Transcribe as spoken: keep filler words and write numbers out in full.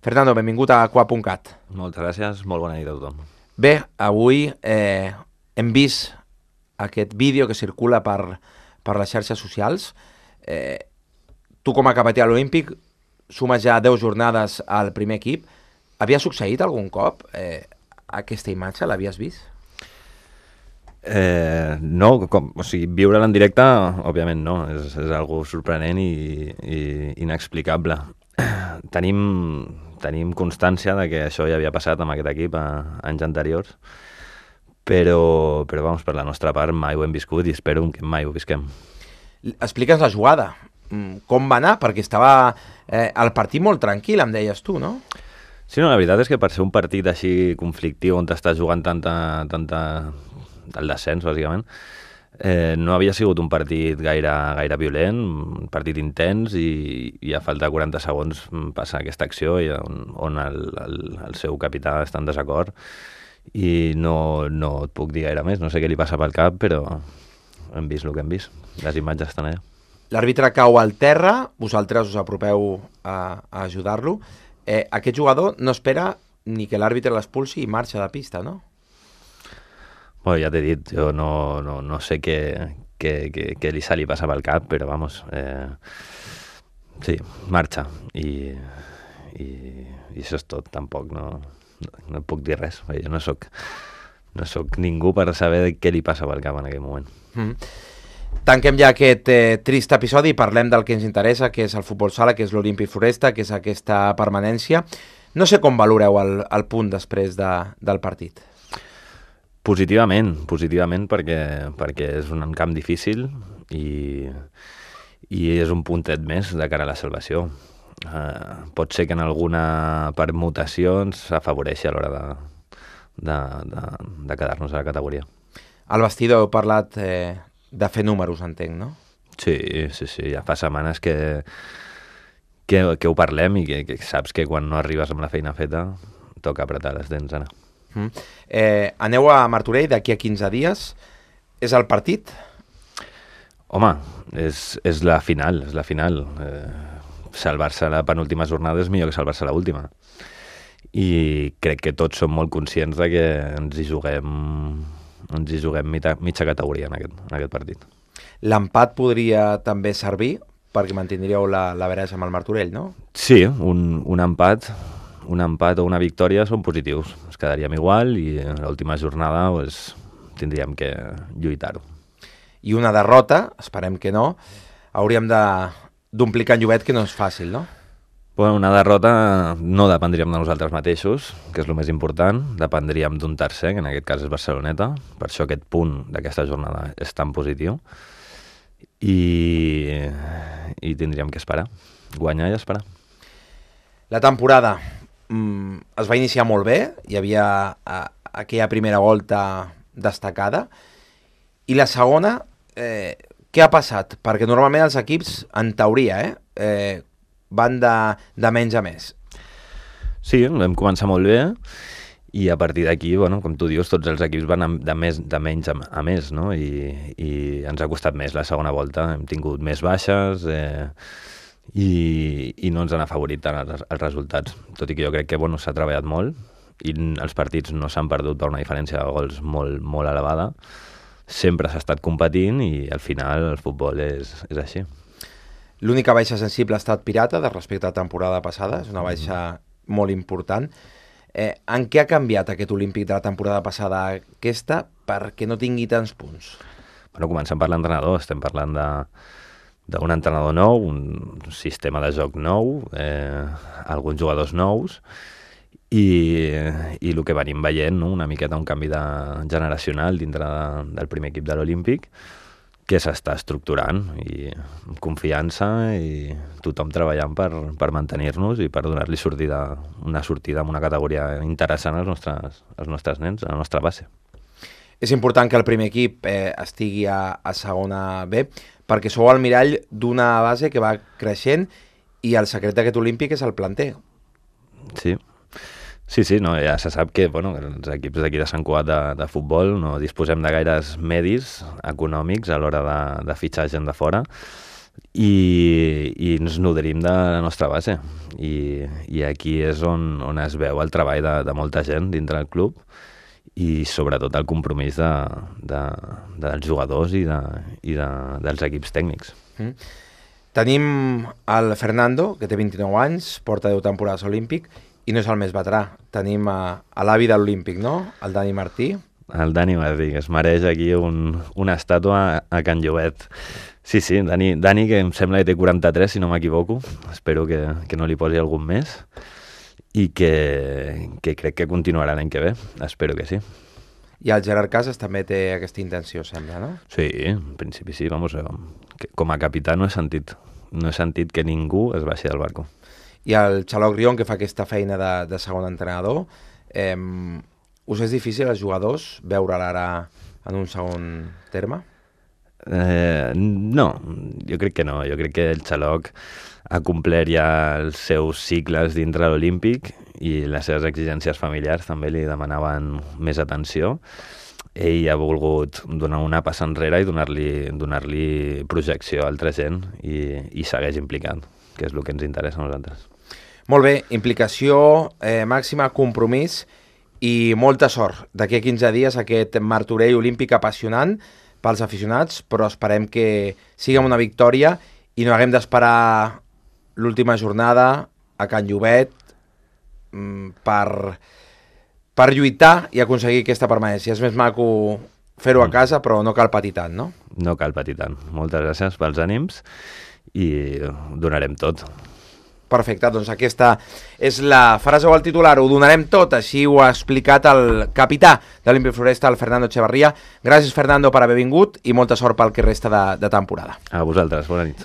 Fernando, benvingut a Coa punt cat. Moltes gràcies, molt bona nit a tothom. Bé, avui eh, hem vist aquest vídeo que circula per, per les xarxes socials. Eh, tu com a capità olímpic sumes ja deu jornades al primer equip. Havia succeït algun cop eh, aquesta imatge? L'havies vist? Eh, no, com, o sigui, viure-la en directe, òbviament no, és, és algo sorprenent i, i inexplicable. Tenim, tenim constància de que això ja havia passat amb aquest equip a, a anys anteriors, però, però vamos, per la nostra part mai ho hem viscut i espero que mai ho visquem. Explica'ns la jugada. Com va anar? Perquè estava eh, el partit molt tranquil, em deies tu, no? Sí, no, la veritat és que per ser un partit així conflictiu on t'estàs jugant tanta, tanta, el descens, bàsicament, eh, no havia sigut un partit gaire, gaire violent, un partit intens, i, i a falta de quaranta segons passa aquesta acció i on, on el, el, el seu capità està en desacord i no, no et puc dir gaire més, no sé què li passa pel cap, però hem vist el que hem vist, les imatges estan allà. L'àrbitre cau al terra, vosaltres us apropeu a, a ajudar-lo. Eh, aquest jugador no espera ni que l'àrbitre l'expulsi i marxa de pista, no? Bueno, ja t'he dit, jo no, no, no sé què, què, què, què li se li passa pel cap, però vamos, eh, sí, marxa i, i, i això és tot, tampoc no, no, no puc dir res, jo no soc, no soc ningú per saber què li passa pel cap en aquell moment. Mm. Tanquem ja aquest eh, trist episodi i parlem del que ens interessa, que és el futbol sala, que és l'Olímpic Floresta, que és aquesta permanència. No sé com valoreu el, el punt després de, del partit. Positivament, positivament perquè, perquè és un camp difícil i, i és un puntet més de cara a la salvació. Uh, pot ser que en alguna permutació ens afavoreixi a l'hora de, de, de, de quedar-nos a la categoria. Al vestidor heu parlat eh, de fer números, entenc, no? Sí, sí, sí, ja fa setmanes que, que, que ho parlem i que, que saps que quan no arribes amb la feina feta toca apretar les dents, Anna. Mm. Eh, aneu a Martorell d'aquí a quinze dies. És el partit? Home, és, és la final, és la final. Eh, salvar-se la penúltima jornada és millor que salvar-se l'última. I crec que tots som molt conscients de que ens hi juguem, ens hi juguem mitja, mitja categoria en aquest, en aquest partit. L'empat podria també servir perquè mantindríeu la, la veresa amb el Martorell, no? Sí, un, un empat... un empat o una victòria són positius. Ens quedaríem igual i en l'última jornada pues, tindríem que lluitar-ho. I una derrota, esperem que no, hauríem d'omplir Can Llobet, que no és fàcil, no? Bueno, una derrota no dependríem de nosaltres mateixos, que és el més important, dependríem d'un tercer, que en aquest cas és Barceloneta, per això aquest punt d'aquesta jornada és tan positiu, i, i tindríem que esperar, guanyar i esperar. La temporada mm, es va iniciar molt bé, hi havia a, aquella primera volta destacada, i la segona, eh, què ha passat? Perquè normalment els equips, en teoria, eh, eh, van de, de menys a més. Sí, vam començar molt bé, i a partir d'aquí, bueno, com tu dius, tots els equips van de, més, de menys a, a més, no? I, i ens ha costat més la segona volta, hem tingut més baixes, eh, I, i no ens han afavorit tant els, els resultats, tot i que jo crec que bueno, s'ha treballat molt i els partits no s'han perdut per una diferència de gols molt, molt elevada, sempre s'ha estat competint i al final el futbol és, és així. L'única baixa sensible ha estat Pirata de respecte a la temporada passada, és una baixa mm. molt important. Eh, en què ha canviat aquest Olímpic de la temporada passada a aquesta perquè no tingui tants punts? Bueno, comencem per l'entrenador, estem parlant de d'un entrenador nou, un sistema de joc nou, eh, alguns jugadors nous, i, i el que venim veient, no? Una miqueta un canvi de, generacional dintre de, del primer equip de l'Olímpic, que s'està estructurant, i amb confiança, i tothom treballant per, per mantenir-nos i per donar-li sortida, una sortida amb una categoria interessant als nostres, als nostres nens, a la nostra base. És important que el primer equip eh, estigui a, a segona B, perquè sou el mirall d'una base que va creixent i el secret d'aquest Olímpic és el planter. Sí, sí, sí, no, ja se sap que bueno, els equips d'aquí de Sant Cugat de, de futbol no disposem de gaires medis econòmics a l'hora de, de fitxar gent de fora, i, i ens nodrim de la nostra base. I, i aquí és on, on es veu el treball de, de molta gent dintre del club i sobretot el compromís de, de, dels jugadors i, de, i de, dels equips tècnics. Mm. Tenim el Fernando, que té vint-i-nou anys, porta deu temporades olímpic, i no és el més veterà. Tenim a, a l'avi de l'Olímpic, no? El Dani Martí. El Dani Martí, que es mereix aquí un, una estàtua a Can Llobet. Sí, sí, Dani, Dani, que em sembla que té quaranta-tres, si no m'equivoco. Espero que, que no li posi algun més. I que, que crec que continuarà l'any que ve. Espero que sí. I el Gerard Casas també té aquesta intenció, sembla, no? Sí, en principi sí. Vamos, que com a capità no he sentit. No he sentit que ningú es baixi del barco. I el Xaloc Rion, que fa aquesta feina de, de segon entrenador, eh, us és difícil als jugadors veure'l ara en un segon terme? Eh, no, jo crec que no. Jo crec que el Xaloc ha complert ja els seus cicles dintre l'Olímpic i les seves exigències familiars també li demanaven més atenció. Ell ha volgut donar una passa enrere i donar-li donar-li projecció a altra gent i, i segueix implicant, que és el que ens interessa a nosaltres. Molt bé, implicació eh, màxima, compromís i molta sort. D'aquí a quinze dies aquest Martorell olímpic apassionant pels aficionats, però esperem que sigui una victòria i no haguem d'esperar l'última jornada a Can Llobet mm, per, per lluitar i aconseguir aquesta permanència. És més maco fer-ho a casa, però no cal patir tant, no? No cal patir tant. Moltes gràcies pels ànims i donarem tot. Perfecte, doncs aquesta és la frase o el titular, ho donarem tot, així ho ha explicat el capità de l'Olímpic Floresta, el Fernando Echevarría. Gràcies, Fernando, per haver vingut i molta sort pel que resta de, de temporada. A vosaltres, bona nit.